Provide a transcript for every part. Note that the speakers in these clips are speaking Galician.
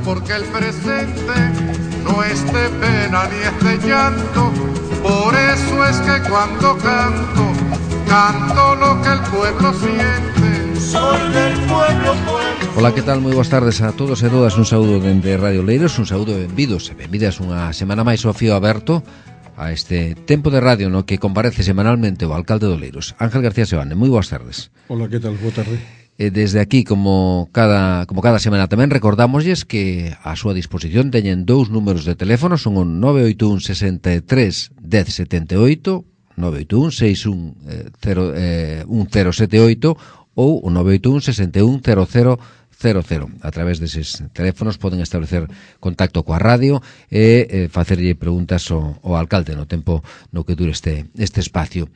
porque el presente no es de pena ni es de llanto. Por eso es que cuando canto, canto lo que el pueblo siente. Soy del pueblo, pueblo. Ola, que tal? Moi boas tardes a todos e todas. Un saúdo dende Radio Oleiros, un saúdo e benvidos e benvidas unha semana máis ao fío aberto a este tempo de radio no que comparece semanalmente o alcalde de Oleiros, Ángel García Sebane. Moi boas tardes. Ola, que tal? Boa tarde. Desde aquí, como cada semana tamén, recordámoslles que a súa disposición teñen dous números de teléfono, son o 981 63 1078, 981 61 1078 ou o 981 61 0000. A través deses teléfonos poden establecer contacto coa radio e facerlle preguntas ao alcalde no tempo no que dure este espacio.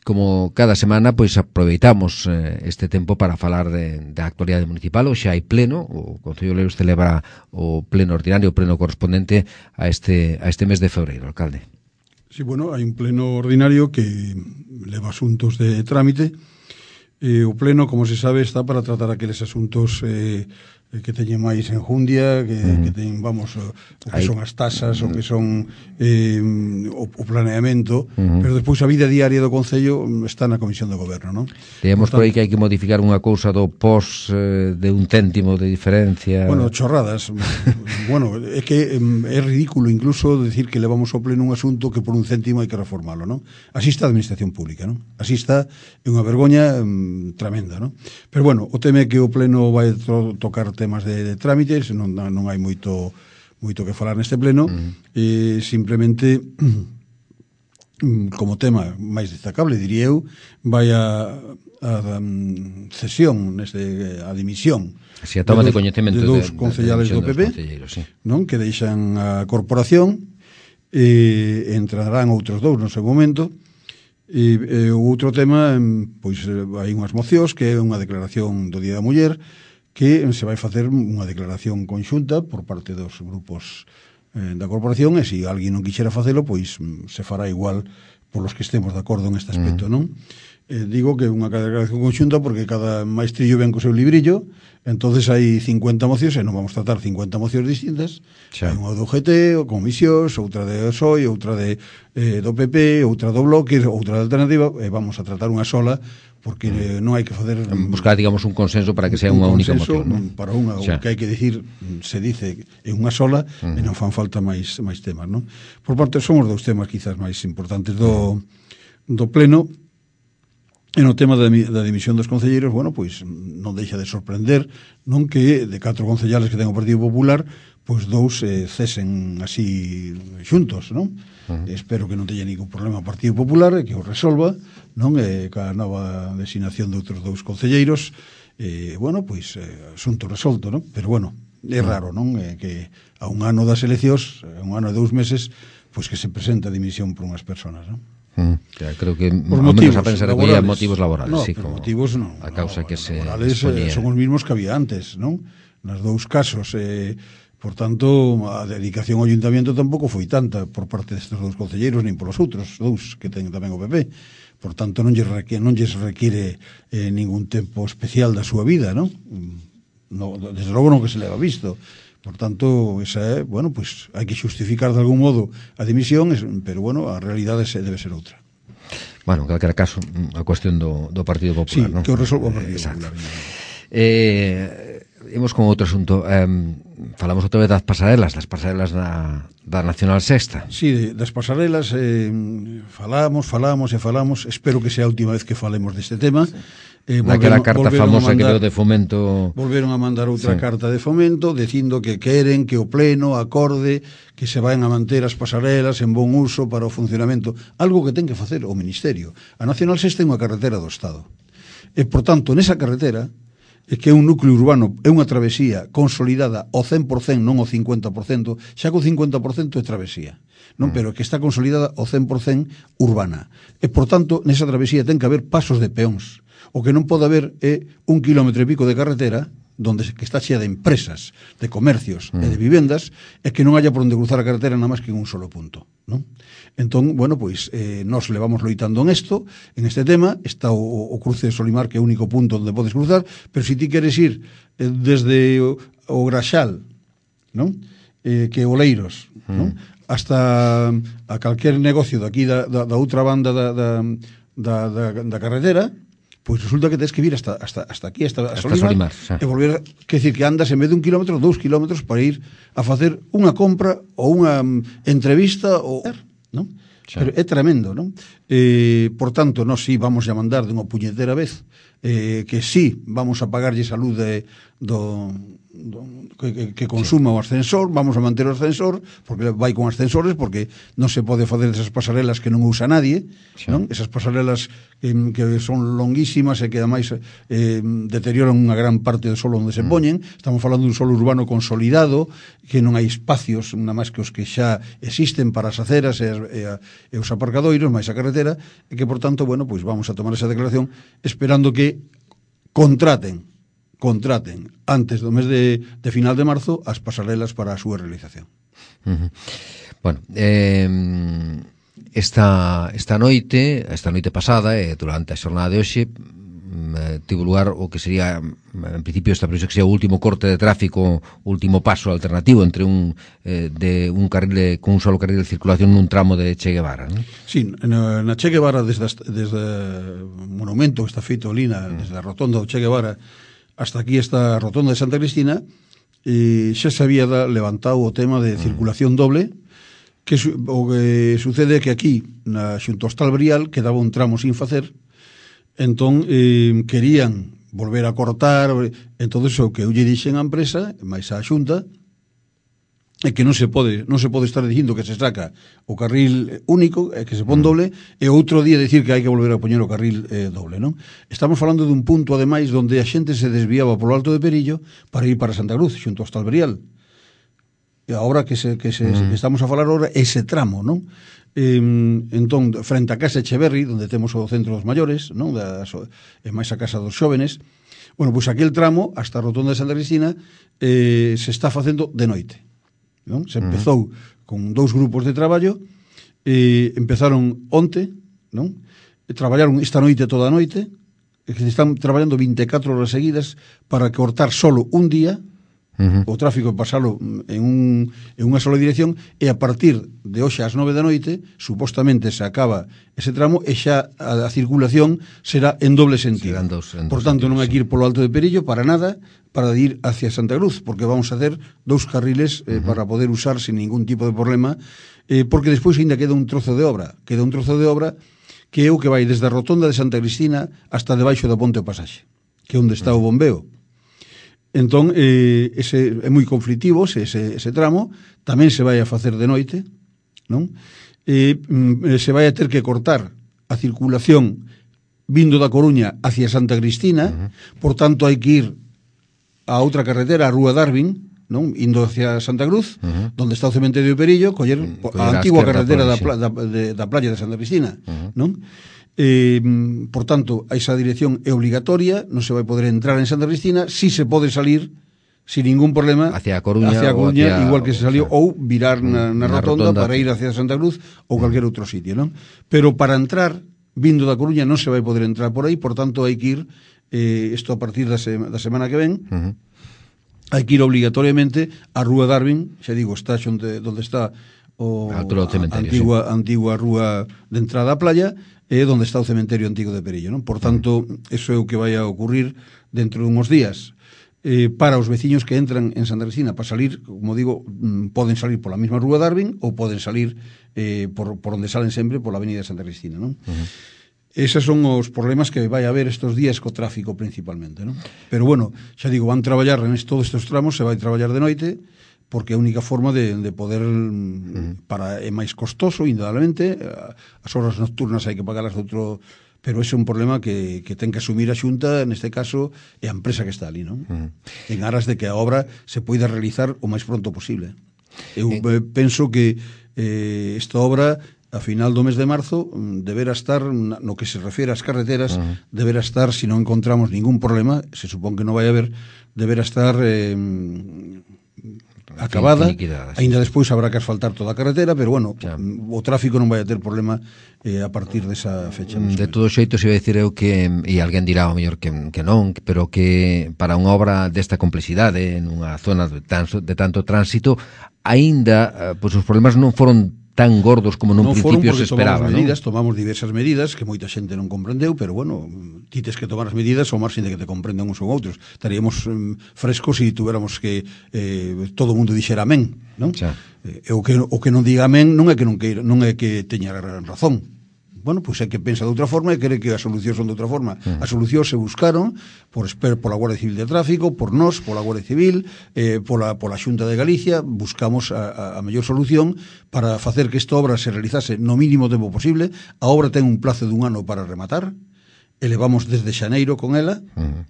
Como cada semana, pois aproveitamos este tempo para falar da actualidade municipal. Hoxe hai pleno, o Concello de Oleiros celebra o pleno ordinario, o pleno correspondente a este mes de febreiro, alcalde. Sí, bueno, hai un pleno ordinario que leva asuntos de trámite. O pleno, como se sabe, está para tratar aqueles asuntos que teñen máis enjundia, que teñen, vamos, o que son as tasas, o que son o planeamento, pero despois a vida diaria do Concello está na Comisión de Goberno, non? Teemos por aí que hai que modificar unha cousa do pos de un céntimo de diferencia. Bueno, chorradas. Bueno, é que é ridículo incluso decir que levamos ao pleno un asunto que por un céntimo hai que reformalo, non? Así está a administración pública, non? Así está, é unha vergoña tremenda, non? Pero bueno, o tema é que o pleno vai tocar temas de trámites, non hai moito que falar neste pleno, e simplemente como tema máis destacable, diría eu, vai a cesión, a dimisión, así a toma de coñecemento de dous concellales do PP, sí, non, que deixan a corporación, e entrarán outros dous no seu momento. E o outro tema, pois hai unhas mocións que é unha declaración do Día da Muller, que se vai facer unha declaración conxunta por parte dos grupos da corporación, e se alguén non quixera facelo, pois se fará igual polos que estemos de acordo en este aspecto, non? Digo que é unha declaración conxunta porque cada maestrillo ven co seu librillo, entonces hai 50 mocións e non vamos tratar 50 mocións distintas. Hai unha do GT, ou comisións, outra de PSOE, outra do PP, outra do Bloque, outra da Alternativa, e vamos a tratar unha sola, porque non hai que facer... buscar, digamos, un consenso para que sea unha única moción, non? Para unha, o que hai que dicir, se dice en unha sola, e non fan falta máis temas, non? Por parte, son os dous temas quizás máis importantes do pleno. E no tema da dimisión dos concelleiros, bueno, pois non deixa de sorprender, non, que de 4 concellales que ten o Partido Popular, pois 2 cesen así xuntos, non? Espero que non teña ningún problema o Partido Popular e que o resolva, non? Ca nova designación de outros 2 concelleiros, bueno, pois asunto resolto, non? Pero bueno, é raro, non? Que a un ano das eleccións, a un ano e 2 meses, pois que se presenta a dimisión por unhas personas, non? Creo que por ao menos motivos a pensa laborales. Motivos laborales, no, sí, por motivos non. A causa que se exponía. Son os mismos que había antes, non? Nos dous casos, por tanto, a dedicación ao ayuntamiento tampouco foi tanta por parte destes 2 concelleiros, nin polos outros 2 que ten tamén o PP. Por tanto, non lles require ningún tempo especial da súa vida, non? Desde logo non que se leva visto. Por tanto, esa é, bueno, pues hai que xustificar de algún modo a dimisión, pero bueno, a realidade debe ser outra. Bueno, en calquera caso, a cuestión do Partido Popular, non? Sí, que o resolva o Partido Popular. Imos con outro asunto. Falamos outra vez das pasarelas da Nacional Sexta. Sí, das pasarelas falamos. Espero que sea a última vez que falemos deste tema. Naquela carta famosa que deu de Fomento. Volveron a mandar outra carta de Fomento dicindo que queren que o pleno acorde que se van a manter as pasarelas en bon uso para o funcionamento, algo que ten que facer o Ministerio. A Nacional Sexta é unha carretera do Estado, e por tanto nesa carretera é que é un núcleo urbano, é unha travesía consolidada ao 100%, non ao 50%, xa que o 50% é travesía, non, pero que está consolidada ao 100% urbana. E por tanto nesa travesía ten que haber pasos de peóns. O que non pode haber é 1 quilómetro e pico de carretera que está chea de empresas, de comercios e de vivendas, e que non haya por onde cruzar a carretera nada máis que en un solo punto, non? Entón, bueno, pois nos levamos loitando en este tema. Está o cruce de Solimar, que é o único punto onde podes cruzar, pero se ti queres ir desde o Graxal non? Que Oleiros, non? Hasta a calquer negocio daqui da outra banda da carretera, pois resulta que tens que vir hasta aquí, hasta Solimar, e volver, que decir, que andas en vez de 1 kilómetro, 2 kilómetros para ir a facer unha compra ou unha entrevista, non? Pero é tremendo, non? Por tanto, nós sí vamos a mandar de unha puñetera vez, que sí vamos a pagarlle a luz que consuma o ascensor, vamos a manter o ascensor, porque vai con ascensores, porque non se pode facer esas pasarelas que non usa nadie, non? Esas pasarelas que son longuísimas e que ademais deterioran unha gran parte do solo onde se poñen. Estamos falando dun solo urbano consolidado, que non hai espacios, nada máis que os que xa existen para as aceras e os aparcadoiros, máis a carretera, e que, por tanto, bueno, pois vamos a tomar esa declaración esperando que contraten antes do mes de final de marzo as pasarelas para a súa realización. Bueno, esta noite pasada, durante a xornada de hoxe, tivo lugar o que sería, en principio, esta previsión que sería o último corte de tráfico, último paso alternativo entre un carril con un solo carril de circulación nun tramo de Che Guevara, non? Sí, na Che Guevara, desde o monumento que está feito ali, desde a rotonda do Che Guevara hasta aquí esta rotonda de Santa Cristina, xa se había levantado o tema de circulación doble, que o que sucede é que aquí, xunto ao Hostal Brial, quedaba un tramo sin facer, entón querían volver a cortar, entón o que eu lle dixen á empresa, máis á Xunta, é que non se pode estar dicindo que se saca o carril único, que se pon doble, e outro día dicir que hai que volver a poñer o carril doble, non? Estamos falando dun punto, ademais, onde a xente se desviaba polo Alto de Perillo para ir para Santa Cruz, xunto ao Hostal Brial. E agora que estamos a falar agora, ese tramo, non? Entón, frente a Casa Echeverri, onde temos o centro dos maiores, non? E máis a Casa dos Xóvenes, bueno, pois aquel tramo, hasta a rotonda de Santa Cristina, se está facendo de noite, non? Se empezou con 2 grupos de traballo, empezaron onte, non? Traballaron esta noite toda a noite, e que están traballando 24 horas seguidas para cortar solo un día o tráfico, pasalo en unha sola dirección, e a partir de hoxe ás 9 da noite supostamente se acaba ese tramo e xa a circulación será en doble sentido. Por tanto, non hai que ir polo Alto de Perillo para nada, para ir hacia Santa Cruz, porque vamos a hacer 2 carriles para poder usar sin ningún tipo de problema, porque despois ainda queda un trozo de obra que é o que vai desde a rotonda de Santa Cristina hasta debaixo da Ponte o Pasaxe, que é onde está o bombeo. Entón, ese é moi conflitivo, ese tramo, tamén se vai a facer de noite, non? Se vai a ter que cortar a circulación vindo da Coruña hacia Santa Cristina, por tanto hai que ir a outra carretera, a Rúa Darwin, non? Indo hacia Santa Cruz, onde está o cementerio de Perillo, coller a antigua carretera da playa de Santa Cristina, non? Por tanto, esa dirección é obligatoria, non se vai poder entrar en Santa Cristina, si se pode salir sin ningún problema hacia a Coruña, igual que se salió, ou virar na rotonda para ir hacia Santa Cruz ou calquer outro sitio, non? Pero para entrar vindo da Coruña non se vai poder entrar por aí, por tanto hai que ir, isto a partir da semana que ven, hai que ir obligatoriamente a Rúa Darwin, xa digo, está onde está a antigua rúa de entrada á playa, é onde está o cementerio antigo de Perillo, non? Por tanto, eso é o que vai a ocurrir dentro de uns días. Para os veciños que entran en Santa Cristina, para salir, como digo, poden salir pola mesma Rúa Darwin ou poden salir por onde salen sempre, pola avenida de Santa Cristina, non? Eses son os problemas que vai haber estes días co tráfico principalmente, non? Pero bueno, xa digo, van traballar en todos estes tramos, se vai traballar de noite, porque é a única forma de poder, é máis costoso, indudablemente, as horas nocturnas hai que pagalas de outro, pero ese é un problema que ten que asumir a Xunta, neste caso, e a empresa que está ali, non? En aras de que a obra se poida realizar o máis pronto posible. Eu penso que esta obra, a final do mes de marzo, deberá estar, no que se refiere ás carreteras, deberá estar, se non encontramos ningún problema, se supón que non vai haber, deberá estar acabada, aínda despois habrá que asfaltar toda a carretera, pero bueno, o tráfico non vai a ter problema a partir desa fecha. De todos xeitos, iba a dicir eu que, e alguén dirá ao mellor que non, pero que para unha obra desta complexidade, nunha zona de tanto tránsito, aínda, pois os problemas non foron tan gordos como nun principio se esperaba, non? Tomamos diversas medidas que moita xente non comprendeu, pero bueno, ti tes que tomar as medidas ao marxen de que te comprendan uns ou outros. Estaríamos frescos se tuviéramos que todo o mundo dixera amén, non? O que non diga amén non é que non queira, non é que teña razón. Bueno, pois é que pensa de outra forma e quere que as solucións son de outra forma. As solucións se buscaron pola Guardia Civil de Tráfico, por nós, pola Guardia Civil, pola Xunta de Galicia. Buscamos a mellor solución para facer que esta obra se realizase no mínimo tempo posible. A obra ten un plazo de 1 ano para rematar. Elevamos desde xaneiro con ela,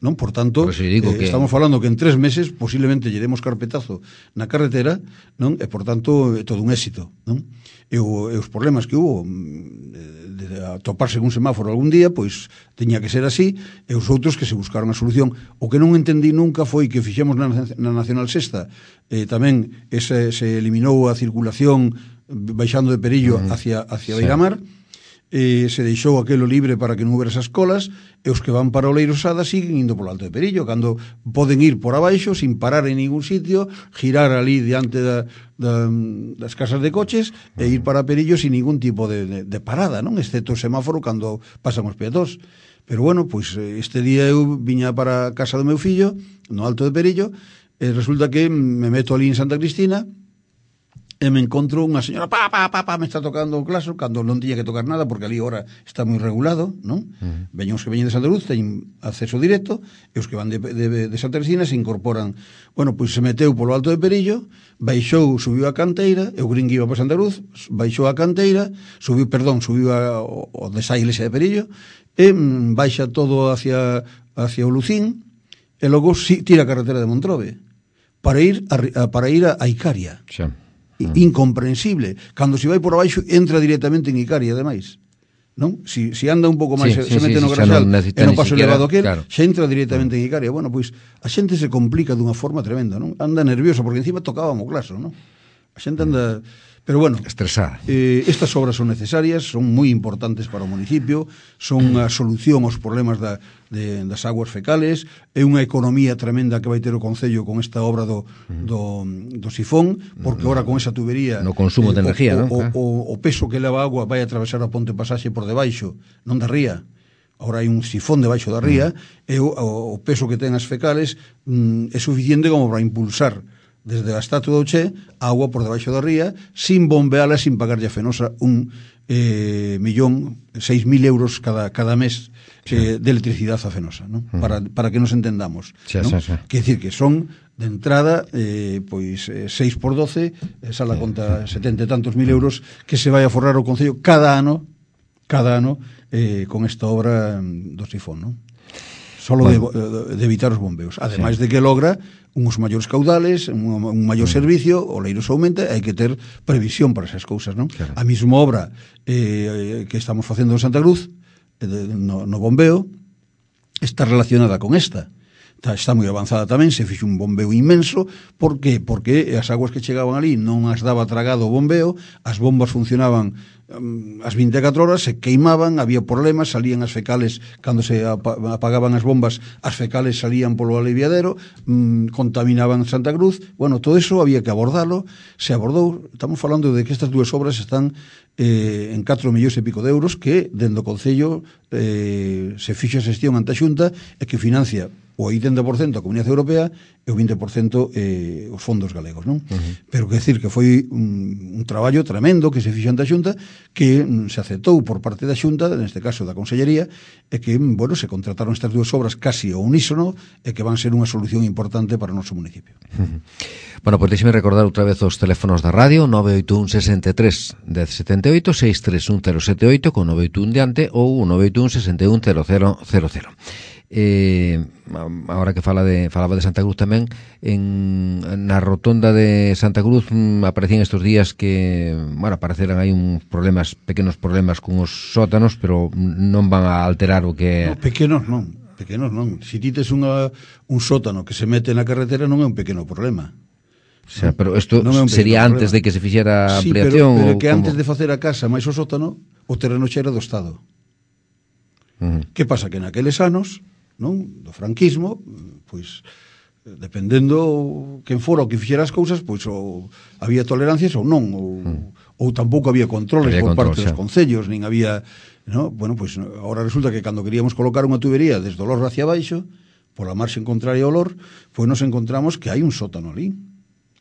non? Por tanto, estamos falando que en 3 meses posiblemente lle demos carpetazo na carretera, non? E, por tanto, é todo un éxito, non? E os problemas que hubo de toparse con un semáforo algún día, pois teña que ser así, e os outros que se buscaron a solución. O que non entendí nunca foi que fixemos na Nacional Sexta, tamén se eliminou a circulación baixando de Perillo hacia Beiramar, se deixou aquelo libre para que non houbera esas colas, e os que van para o Leirosada siguen indo polo Alto de Perillo, cando poden ir por abaixo sin parar en ningún sitio, girar ali diante das casas de coches e ir para Perillo sin ningún tipo de parada, non? Excepto o semáforo cando pasan os peatóns. Pero bueno, pois este día eu viña para a casa do meu fillo no Alto de Perillo, e resulta que me meto ali en Santa Cristina e me encontro unha señora, me está tocando o claxon, cando non tiña que tocar nada, porque ali ahora está moi regulado, non? Veñen os que veñen de Santa Cruz, teñen acceso directo, e os que van de Santa Cristina se incorporan. Bueno, pois se meteu polo Alto de Perillo, baixou, subiu a canteira, eu crin que iba para Santa Cruz, baixou a canteira, subiu ao desa iglesia de Perillo, e baixa todo hacia o Lucín, e logo tira a carretera de Montrobe, para ir a Icaria. Xa. Incomprensible. Cando se vai por abaixo entra directamente en Icaria, ademais, non? Si anda un pouco máis, se mete no Graxal e non paso elevado aquel, xa entra directamente en Icaria. Bueno, pois a xente se complica dunha forma tremenda, non? Anda nerviosa porque encima tocaban o claxon, non? A xente anda, pero bueno, estresada. Estas obras son necesarias, son moi importantes para o municipio, son a solución aos problemas das aguas fecales, é unha economía tremenda que vai ter o Concello con esta obra do sifón, porque ahora con esa tubería no consumo de energía, non? O peso que leva a agua vai atravesar a ponte pasaxe por debaixo, non da ría. Ahora hai un sifón debaixo da ría, e o peso que ten as fecales é suficiente como para impulsar desde a Estatua do Che a agua por debaixo da ría, sin bombeala, sin pagarlle a Fenosa 1.600.000 euros cada mes de electricidade a Fenosa, non? Para que nos entendamos, non? Quer dicir que son de entrada pois 6 por 12 sala conta 70 e tantos mil euros que se vai a forrar o Concello cada ano con esta obra do sifón, non? Solo de evitar os bombeos, ademais de que logra uns maiores caudales, un maior servicio, o Leiros aumenta, hai que ter previsión para esas cousas, non? Claro. A mesma obra que estamos facendo en Santa Cruz, no bombeo, está relacionada con esta. Está moi avanzada tamén, se fixo un bombeo inmenso. Por que? Porque as aguas que chegaban ali non as daba tragado o bombeo, as bombas funcionaban as 24 horas, se queimaban, había problemas, salían as fecales, cando se apagaban as bombas, as fecales salían polo aliviadero, contaminaban Santa Cruz. Bueno, todo eso había que abordalo, se abordou. Estamos falando de que estas dúas obras están en 4 millóns e pico de euros que, dentro do Concello, se fixa a xestión ante a Xunta e que financia o 80% a Comunidade Europea e o 20% os fondos galegos, non? Pero que decir que foi un traballo tremendo que se fixo ante a Xunta, que se aceptou por parte da Xunta, neste caso da Consellería, e que, bueno, se contrataron estas dúas obras casi ao unísono e que van ser unha solución importante para o noso municipio. Bueno, pois deixeme recordar outra vez os teléfonos da radio: 981 63 1078, 631 078 con 981 diante, ou 981 61 0000. Ahora que falaba de Santa Cruz tamén, na rotonda de Santa Cruz aparecían estes días que, bueno, apareceran aí pequenos problemas con os sótanos, pero non van a alterar o que... No, pequenos non. Se ti tes un sótano que se mete na carretera non é un pequeno problema. sea, pero isto sería antes de que se fixera a ampliación? Sí, pero que antes de facer a casa máis o sótano, o terreno xa era do Estado. Que pasa? Que naqueles anos, non, do franquismo, pois dependendo quen fora o que fixera as cousas, pois ou había tolerancias ou non, ou tampouco había controles por parte dos concellos, nin había, no? Bueno, pois agora resulta que cando queríamos colocar unha tubería desde o Lor hacia baixo, pola marxen contraria ao Lor, pois nos encontramos que hai un sótano ali.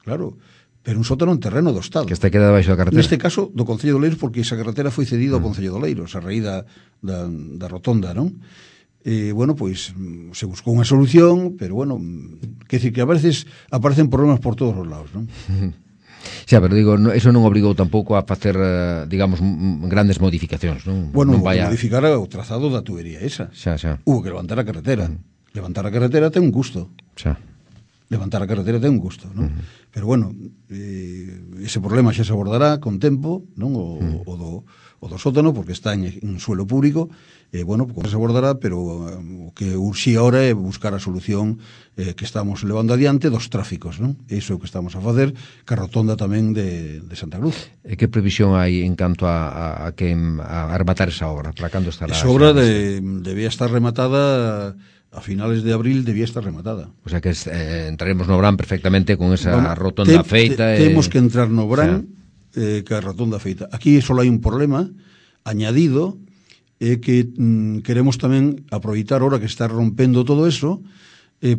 Claro, pero un sótano en terreno do Estado. Que está quedado baixo da carretera. Neste caso, do Concello de Oleiros, porque esa carretera foi cedida ao Concello de Oleiros, a raíz da rotonda, non? Bueno, pois se buscou unha solución, pero bueno, que decir que a veces aparecen problemas por todos os lados, non? Xa, pero digo, eso non obrigou tampouco a facer, digamos, grandes modificacións, non? Bueno, non vaya... modificar o trazado da tubería esa. Xa. Hubo que levantar a carretera. Levantar a carretera ten un custo. Xa. Levantar a carretera ten un custo, non? Pero bueno, ese problema xa se abordará con tempo, non? O do sótano, porque está en suelo público, bueno, se abordará, pero o que urxía ahora é buscar a solución que estamos levando adiante dos tráficos, non? Iso é o que estamos a facer, que a rotonda tamén de Santa Cruz. E que previsión hai en canto a rematar esa obra? Para cando estará? Esa obra debía estar rematada... A finales de abril debía estar rematada. O sea que entraremos no Brán perfectamente con esa rotonda feita. Temos que entrar no Brán que a rotonda feita. Aquí só hai un problema añadido, que queremos tamén aproveitar ahora que está rompendo todo eso,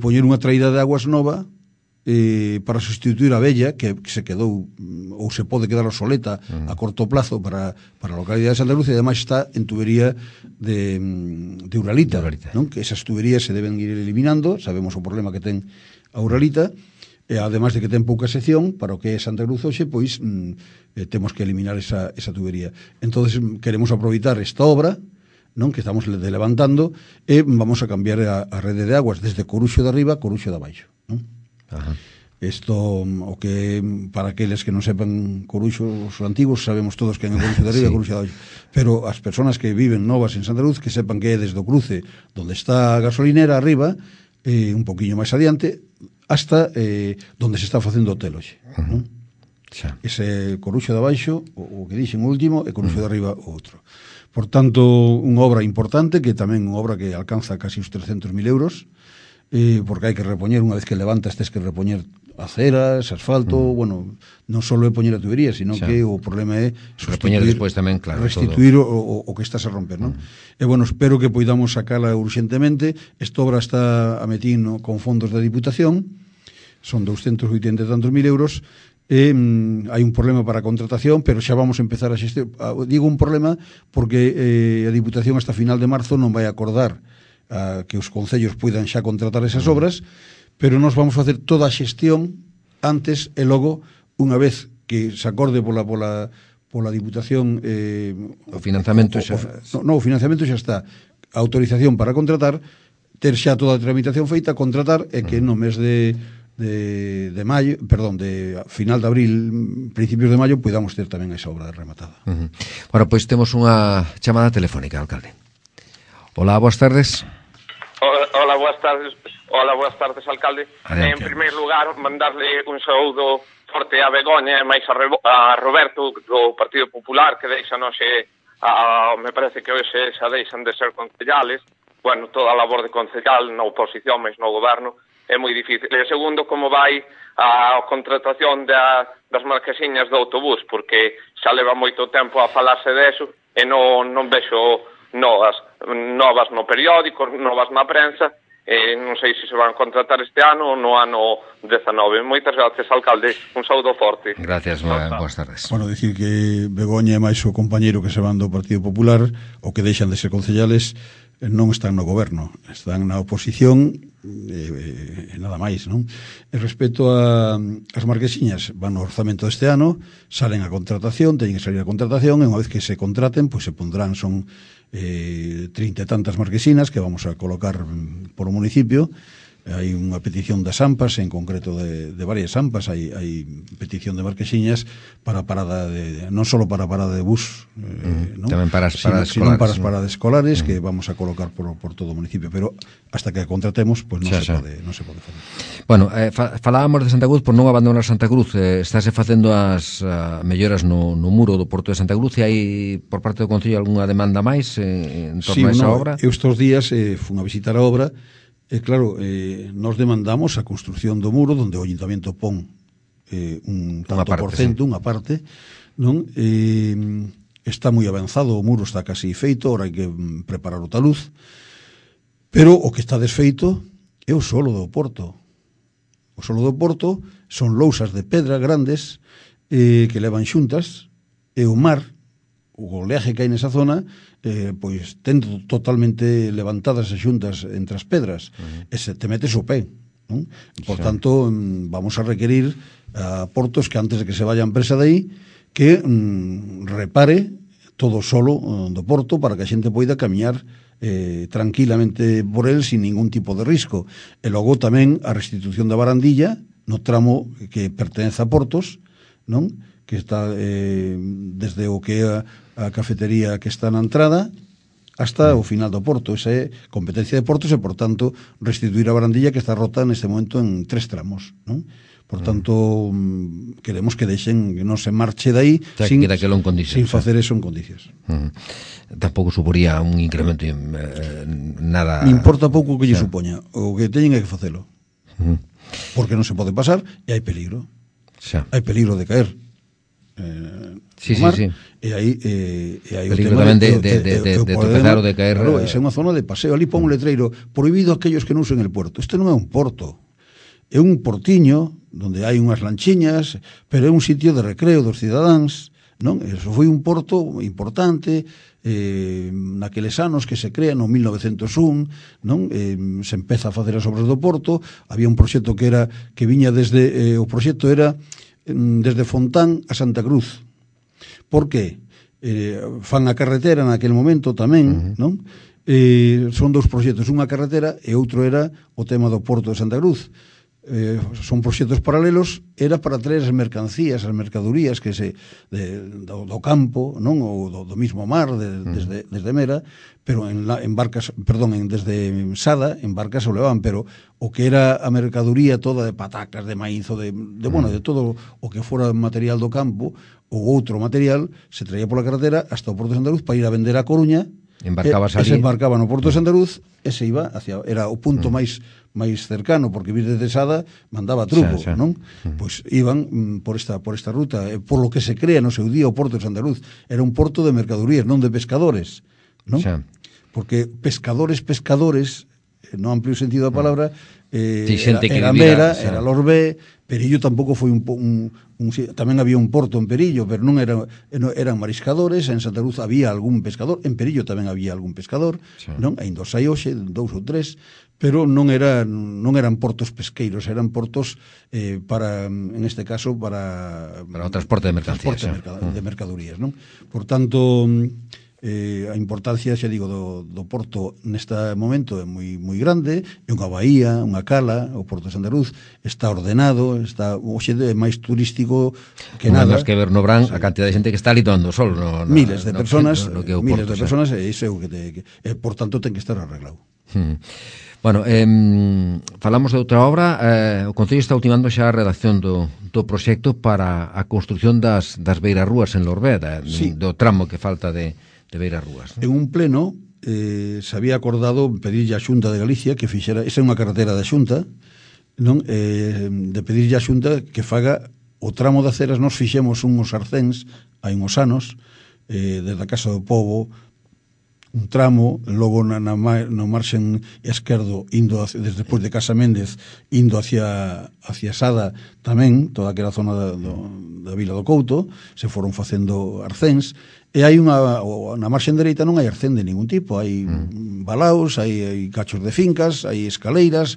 poñer unha traída de aguas nova para sustituir a vella que se quedou ou se pode quedar obsoleta a corto plazo para a localidade de Santa Cruz, e ademais está en tubería de Uralita, non? Que esas tuberías se deben ir eliminando, sabemos o problema que ten a Uralita, e ademais de que ten pouca sección para o que é Santa Cruz hoxe, pois temos que eliminar esa tubería. Entonces queremos aproveitar esta obra, non, que estamos levantando, e vamos a cambiar a rede de aguas desde Coruxo de arriba a Coruxo de abaixo, non? Isto, o que para aqueles que non sepan Coruxo, os antigos, sabemos todos que é Coruxo de arriba e Coruxo de abaixo, pero as persoas que viven novas en Santa Cruz, que sepan que é desde o cruce donde está a gasolinera arriba, un poquinho máis adiante, hasta donde se está facendo o hotel hoxe, non? Ese Coruxo de abaixo, o que dixen o último, e Coruxo de arriba o outro. Por tanto, unha obra importante, que tamén unha obra que alcanza casi os 300.000 euros, porque hai que repoñer, unha vez que levantas tens que repoñer aceras, asfalto, bueno, non só é poñer a tubería, sino que o problema é repoñer despois tamén, claro, restituir o que estás a romper, non? E bueno, espero que poidamos sacala urxentemente. Esta obra está a metino con fondos da Diputación, son 280 e tantos mil euros, e hai un problema para a contratación, pero xa vamos a empezar a xestión. Digo un problema porque a Diputación hasta final de marzo non vai acordar que os concellos puidan xa contratar esas obras, pero nos vamos a facer toda a xestión antes e logo, unha vez que se acorde pola Diputación o financiamento xa... o financiamento xa está, a autorización para contratar, ter xa toda a tramitación feita, contratar, e que no mes de maio, perdón, de final de abril, principios de maio, podamos ter tamén esa obra rematada. Bueno, pois temos unha chamada telefónica, alcalde. Hola, boas tardes. Hola, boas tardes. Hola, boas tardes, alcalde. En primeiro lugar, mandarle un saúdo forte a Begoña e máis a Roberto do Partido Popular, que deixanos me parece que hoxe xa deixan de ser concellales. Bueno, toda a labor de concellal na oposición, mas no goberno é moi difícil. E segundo, como vai a contratación das marquesiñas do autobús, porque xa leva moito tempo a falarse deso e non vexo novas no periódico, novas na prensa, e non sei se van a contratar este ano ou no ano 19. Moitas gracias, alcalde, un saúdo forte. Gracias, boas tardes. Bueno, dicir que Begoña e máis o compañeiro que se van do Partido Popular, o que deixan de ser concellales, non están no goberno, están na oposición, nada máis, non? E respecto as marquesiñas, van no orzamento deste ano, salen a contratación, teñen que salir a contratación, e unha vez que se contraten, pois se pondrán, son 30 e tantas marquesinas que vamos a colocar por o municipio, hai unha petición das AMPAs, en concreto de varias AMPAs, hai petición de Marquesiñas para parada non só para parada de bus, non? Tamén para as paradas sino escolares, para as paradas escolares que vamos a colocar por todo o municipio, pero hasta que contratemos, pues non se pode facer. Bueno, falábamos de Santa Cruz por non abandonar Santa Cruz. Estáse facendo as melloras no muro do Porto de Santa Cruz, e hai por parte do Concello algunha demanda máis en torno a esa obra? Eu estes días fun a visitar a obra. Claro, nos demandamos a construción do muro donde o Ayuntamiento pon un tanto por cento, unha parte, non? Está moi avanzado, o muro está casi feito, ahora hai que preparar o taluz, pero o que está desfeito é o solo do Porto. O solo do Porto son lousas de pedra grandes que levan xuntas, e o mar, o oleaje que hai nesa zona, pois ten totalmente levantadas as xuntas entre as pedras, e se te metes o pé, non? Por tanto, vamos a requerir a Portos que antes de que se vaya a empresa de aí, que repare todo o solo do Porto para que a xente poida camiñar tranquilamente por el sin ningún tipo de risco. E logo tamén a restitución da barandilla no tramo que pertenece a Portos, non? Que está desde o que é a cafetería que está na entrada hasta o final do Porto. Esa é competencia de Portos e, por tanto, restituir a barandilla que está rota neste momento en 3 tramos, non? Por tanto, queremos que deixen que non se marche dai sin facer eso en condicións. Tampouco suporía un incremento nada... Me importa pouco que lle supoña. O que teñen é que facelo. Porque non se pode pasar e hai peligro. Hai peligro de caer. Mar, e aí o tema tamén de tropezar ou de caer. Claro, esa é unha zona de paseo. Ali pon un letreiro: prohibido aquellos que non usen el puerto. Isto non é un porto, é un portiño donde hai unhas lanchiñas, pero é un sitio de recreo dos cidadáns, non? Eso foi un porto importante naqueles anos que se crea no 1901, non? Se empeza a facer as obras do porto. Había un proxecto que viña desde o proxecto era desde Fontán a Santa Cruz. Por que? Fan a carretera naquele momento tamén, non? Son dous proxectos, unha carretera e outro era o tema do Porto de Santa Cruz. Son proxectos paralelos, era para traer as mercancías, as mercadorías que do campo, non? Ou do mismo mar, desde Mera, pero en barcas, desde Sada, en barcas o levaban, pero o que era a mercadoría toda de patacas, de maíz, de todo o que fora material do campo, ou outro material, se traía pola carretera hasta o Porto de Santa Cruz para ir a vender a Coruña. Se embarcaba no Porto de Santa Cruz e se iba era o punto máis cercano, porque vir desde Sada mandaba truco, non? Pois iban por esta ruta, por lo que se crea no seu día o Porto de Santa Cruz era un porto de mercadorías, non de pescadores, non? Porque pescadores, no amplio sentido da palabra, era Mera, era Lorbé. Perillo tampouco foi tamén había un porto en Perillo, pero non eran mariscadores. En Santa Cruz había algún pescador, en Perillo tamén había algún pescador, non? Ainda os hai hoxe, 2 ou 3, pero non eran portos pesqueiros, eran portos para, en este caso, para o transporte de mercancías, de mercadorías, non? Por tanto, a importancia, xa digo, do porto neste momento é moi grande. É unha baía, unha cala. O Porto de Santa Cruz está ordenado, hoxe é máis turístico que nada. Non que ver no Brán a cantidad de xente que está ali tomando sol, miles de personas, e iso é o que por tanto ten que estar arreglado. Bueno, falamos de outra obra. O Concello está ultimando xa a redacción do proxecto para a construción das beirarrúas en Lorbeda, do tramo que falta de beirarrúas. En un pleno se había acordado pedirlle a Xunta de Galicia que fixera, esa é unha carretera da Xunta, non? De pedirlle a Xunta que faga o tramo de aceras. Nos fixemos unhos arcéns hai uns anos, desde a Casa do Pobo, un tramo, logo no marxen esquerdo, indo despois de Casa Méndez, indo hacia Sada tamén, toda aquela zona da Vila do Couto, se foron facendo arcéns. E hai na marxen dereita non hai arcén de ningún tipo, hai balaos, hai cachos de fincas, hai escaleiras,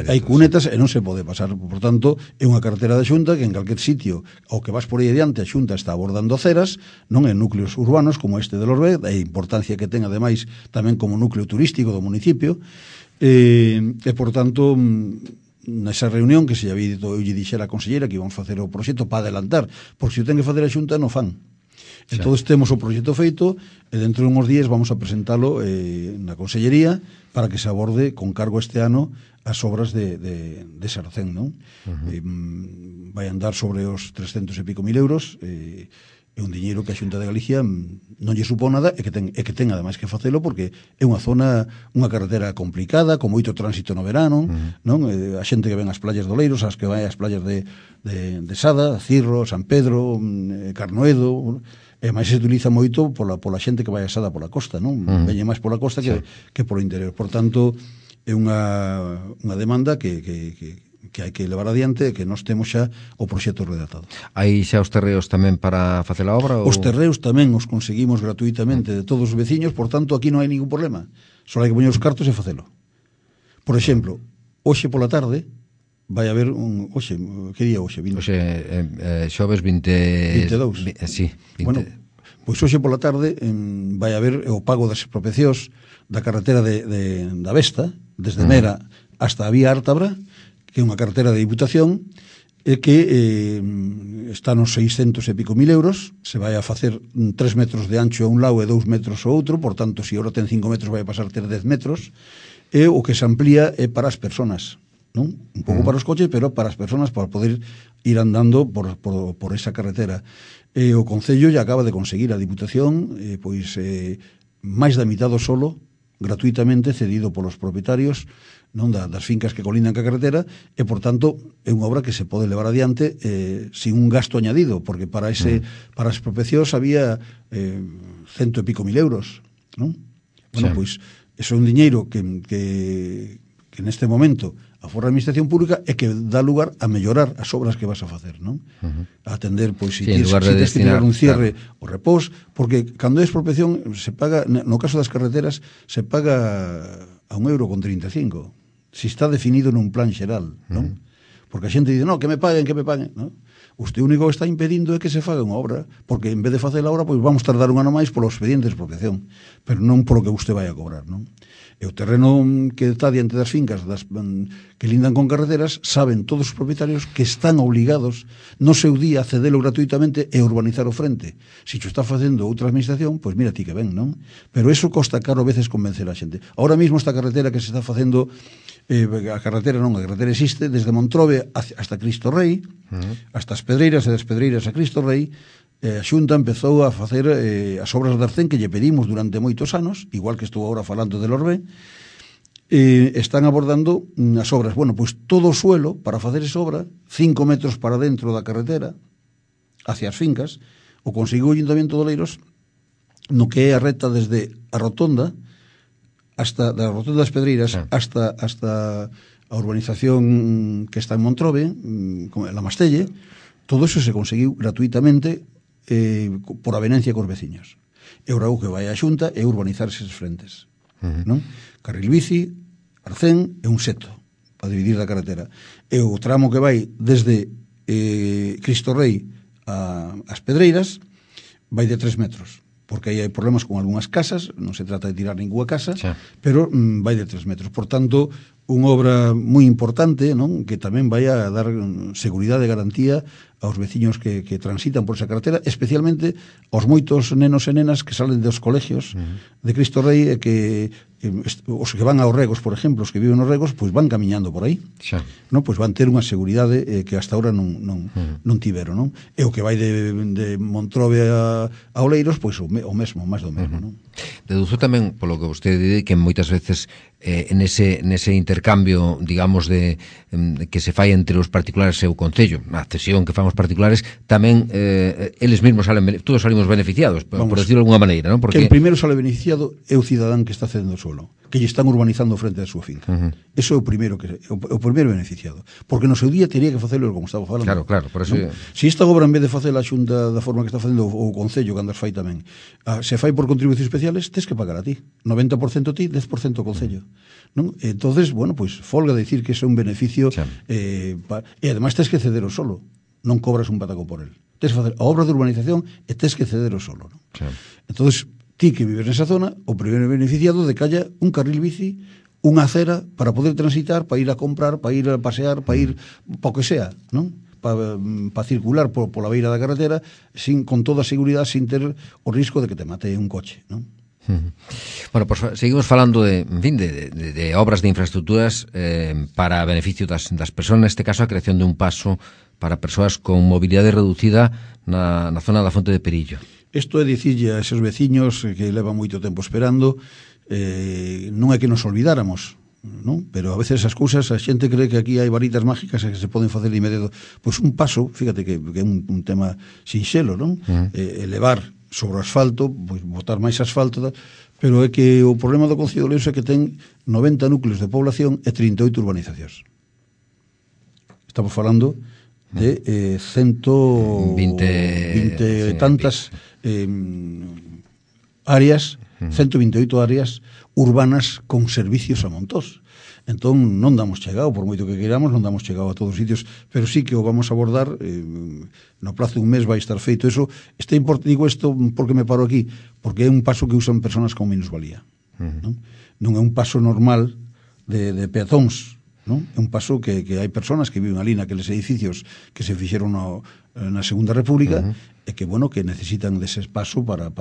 hai cunetas e non se pode pasar. Por tanto, é unha carretera da Xunta que en calquer sitio ao que vas por aí adiante a Xunta está abordando aceras, non en núcleos urbanos como este de Lorbé, a importancia que ten ademais tamén como núcleo turístico do municipio. E por tanto, nesa reunión que se había dito, eu lle dixera a conselleira que íbamos facer o proxecto para adelantar, porque se o ten que facer a Xunta non fan. Entón temos o proxecto feito e dentro de uns días vamos a presentalo na consellería para que se aborde con cargo este ano as obras de Sarcén, non? Vai andar sobre os 300 e pico mil euros, é un diñeiro que a Xunta de Galicia non lle supón nada e que ten ademais que facelo porque é unha zona, unha carretera complicada, con moito tránsito no verano, non? A xente que ven as playas do Oleiros, as que vai ás playas de Sada, Cirro, San Pedro, Carnoedo, e máis se utiliza moito pola xente que vai a Sada pola costa, non? Veñe máis pola costa que polo interior. Por tanto, é unha demanda que hai que levar adiante e que nós temos xa o proxecto redactado. Hai xa os terreos tamén para facer a obra? Os terreos tamén os conseguimos gratuitamente de todos os veciños, por tanto, aquí non hai ningún problema. Só hai que poñer os cartos e facelo. Por exemplo, hoxe pola tarde vai haber hoxe, que día hoxe? Hoxe, xoves 22. Sí, 20. Bueno, pois hoxe pola tarde vai haber o pago das expropiacións da carretera da Vesta, desde Mera hasta a Vía Ártabra, que é unha carretera de Diputación, e que está nos 600 e pico mil euros, se vai a facer 3 metros de ancho a un lado e 2 metros ao outro, por tanto, se agora ten 5 metros vai a pasar a ter 10 metros, e o que se amplía é para as persoas, non? Un pouco para os coches, pero para as persoas, para poder ir andando por esa carretera. E o Concello ya acaba de conseguir a Diputación, pois, máis da mitad do solo, gratuitamente cedido polos propietarios, non das fincas que colindan ca carretera, e por tanto é unha obra que se pode levar adiante sin un gasto añadido, porque para as expropiacións había 100 e pico mil euros, non? Bueno, pois eso é un diñeiro que neste momento aforra a administración pública e que dá lugar a mellorar as obras que vas a facer, non? A atender, pois, se tens que tirar un cierre o repós, porque cando é expropiación se paga, no caso das carreteras, se paga a €1,35, se está definido nun plan xeral, non? Porque a xente dice, no, que me paguen, non? Usted único que está impedindo é que se faga unha obra, porque en vez de facer a obra, pois vamos tardar un ano máis polo expediente de expropiación, pero non polo que usted vai a cobrar, non? E o terreno que está diante das fincas que lindan con carreteras, saben todos os propietarios que están obligados no seu día a cedelo gratuitamente e urbanizar o frente. Se xo está facendo outra administración, pois mira ti que ven, non? Pero eso costa caro a veces convencer a xente. Ahora mesmo esta carretera que se está facendo, a carretera existe desde Montrobe hasta Cristo Rei, hasta as Pedreiras e das Pedreiras a Cristo Rei. A Xunta empezou a facer as obras de Arcén que lle pedimos durante moitos anos, igual que estou agora falando de Lorbé, están abordando as obras. Bueno, pois todo o suelo para facer esa obra, 5 metros para dentro da carretera, hacia as fincas, o conseguiu o Ayuntamiento de Oleiros, no que é a recta desde a rotonda, hasta da rotonda das Pedreiras, hasta a urbanización que está en Montrobe, la Mastelle. Todo eso se conseguiu gratuitamente por avenencia cos veciños. E ora o que vai a Xunta é urbanizar eses frentes, non? Carril bici, Arcén e un seto para dividir da carretera. E o tramo que vai desde Cristo Rei ás Pedreiras vai de 3 metros, porque aí hai problemas con algunhas casas, non se trata de tirar ninguna casa, pero vai de 3 metros. Por tanto, unha obra moi importante, non? Que tamén vai a dar seguridade e garantía aos veciños que transitan por esa carretera, especialmente aos moitos nenos e nenas que salen dos colegios de Cristo Rei e que os que van aos regos, por exemplo, os que viven nos regos, pois van camiñando por aí, non? Pois van ter unha seguridade que hasta ahora non tiveron, non? E o que vai de Montrobe a Oleiros, pois o mesmo, máis do mesmo, non? Deduzo tamén, polo que vostede di, que moitas veces nese intercambio, digamos, que se fai entre os particulares e o Concello, a cesión que fan os particulares, tamén eles mesmos todos salimos beneficiados, por decirlo de alguna maneira, non? Porque que o primeiro sale beneficiado é o cidadán que está cedendo o suelo, que lle están urbanizando frente da súa finca. Eso é o primeiro beneficiado, porque no seu día teria que facelo como estaba falando. Claro, por eso. Se esta obra, en vez de facela a Xunta da forma que está facendo o Concello, cando as fai tamén, se fai por contribucións especiales, tes que pagar a ti, 90% ti, 10% o Concello, non? Entonces, bueno, pois folga decir que é un beneficio, e ademais tes que ceder o solo, non cobras un pataco por el. Tes que facer a obra de urbanización e tes que ceder o solo, non? Entonces, ti que vives nesa zona, o primeiro beneficiado de que haya un carril bici, unha acera para poder transitar, para ir a comprar, para ir a pasear, para ir para o que sea, non? Para circular pola beira da carretera con toda a seguridade, sin ter o risco de que te mate un coche, non? Bueno, pues seguimos falando de obras de infraestructuras para beneficio das persoas, neste caso a creación de un paso para persoas con mobilidade reducida na zona da Fonte de Perillo. Isto é dicirlle a esos veciños que levan moito tempo esperando, non é que nos olvidáramos, non? Pero a veces as cousas, a xente cree que aquí hai varitas mágicas que se poden facer de inmediato. Pois un paso, fíjate que é un tema sinxelo, non? Elevar sobre o asfalto, pois botar máis asfalto, pero é que o problema do Concello de Oleiros é que ten 90 núcleos de población e 38 urbanizacións. Estamos falando de 120 tantas áreas, 128 áreas urbanas con servicios a montós. Entón non damos chegado, por moito que queiramos, non damos chegado a todos os sitios, pero sí que o vamos a abordar, no plazo de un mes vai estar feito eso. Digo isto porque me paro aquí, porque é un paso que usan personas con minusvalía. Non é un paso normal de peatóns, non? É un paso que hai personas que viven ali naqueles edificios que se fixeron na Segunda República e que, bueno, que necesitan dese paso para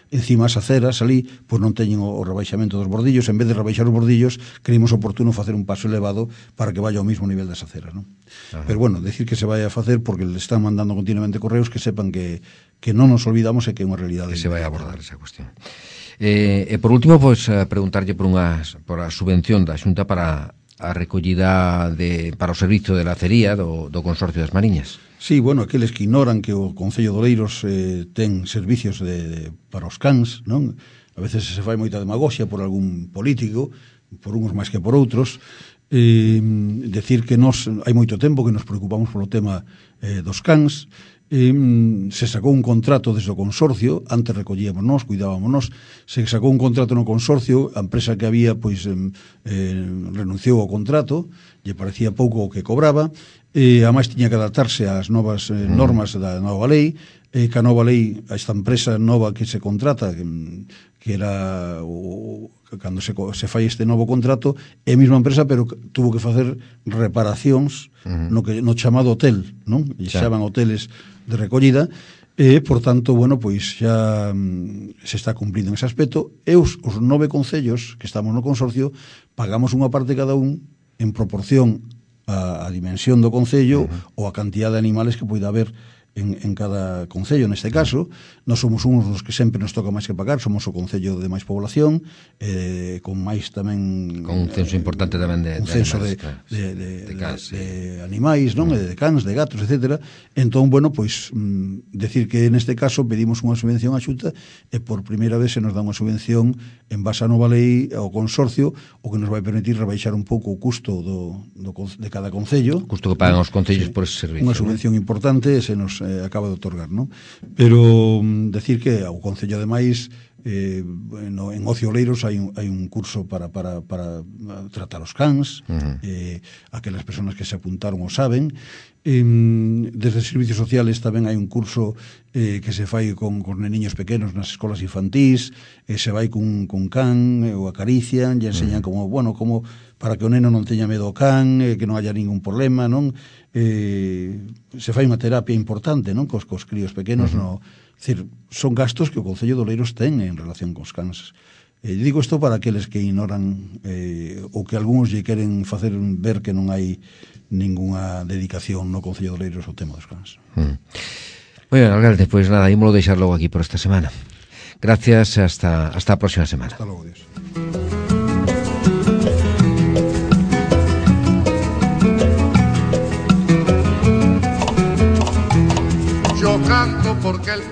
encima as aceras ali, pois non teñen o rebaixamento dos bordillos. En vez de rebaixar os bordillos, creímos oportuno facer un paso elevado para que vaya ao mismo nivel das aceras, non? Pero, bueno, decir que se vai a facer porque le están mandando continuamente correos, que sepan que non nos olvidamos e que é unha realidade. Que se vai a abordar esa cuestión. E por último, pois, preguntarlle por a subvención da Xunta para a recollida para o servizo de lacería do Consorcio das Mariñas. Sí, bueno, aqueles que ignoran que o Concello de Oleiros ten servicios para os cans, non? A veces se fai moita demagoxia por algún político, por uns máis que por outros, decir que hai moito tempo que nos preocupamos polo tema dos cans. Se sacou un contrato desde o consorcio, antes recollíamos nós, cuidábamos nós, se sacou un contrato no consorcio, a empresa que había pois renunciou ao contrato, lle parecía pouco o que cobraba, e ademais tiña que adaptarse ás novas normas da nova lei, que a nova lei, a esta empresa nova que se contrata, que era cando se fai este novo contrato, é a mesma empresa, pero tuvo que facer reparacións no chamado hotel, non? E xaban hoteles de recollida, e, por tanto, bueno, pois xa se está cumplindo en ese aspecto, e os 9 concellos que estamos no consorcio pagamos unha parte cada un en proporción a dimensión do concello ou a cantidad de animales que poida haber en cada concello. Neste caso, nós somos uns dos que sempre nos toca máis que pagar, somos o concello de máis población, con máis tamén... Con un censo importante tamén de animais, non? De cans, de gatos, etc. Entón, bueno, pois, decir que neste caso pedimos unha subvención á Xunta e por primeira vez se nos dá unha subvención en base á nova lei ao consorcio, o que nos vai permitir rebaixar un pouco o custo de cada concello. O custo que pagan os concellos por ese servicio. Unha subvención importante se nos acaba de otorgar, non? Pero decir que o Concello ademais en Ocio Oleiros hai un curso para tratar os cans, aquelas persoas que se apuntaron o saben. Desde Servicios Sociales tamén hai un curso que se fai con neniños pequenos nas escolas infantís, se vai cun can, o acarician e enseñan como para que o neno non teña medo ao can, que non haya ningún problema, non? Se fai unha terapia importante, non? Cos críos pequenos, decir, son gastos que o Concello de Oleiros ten en relación cos cans. Digo isto para aqueles que ignoran ou que algúns lle queren facer ver que non hai ningunha dedicación no Concello de Oleiros ao tema dos cans. Bueno, alcalde, pois nada, ímolo deixar logo aquí por esta semana. Gracias, hasta a próxima semana. Hasta logo, Dios. Yo canto porque el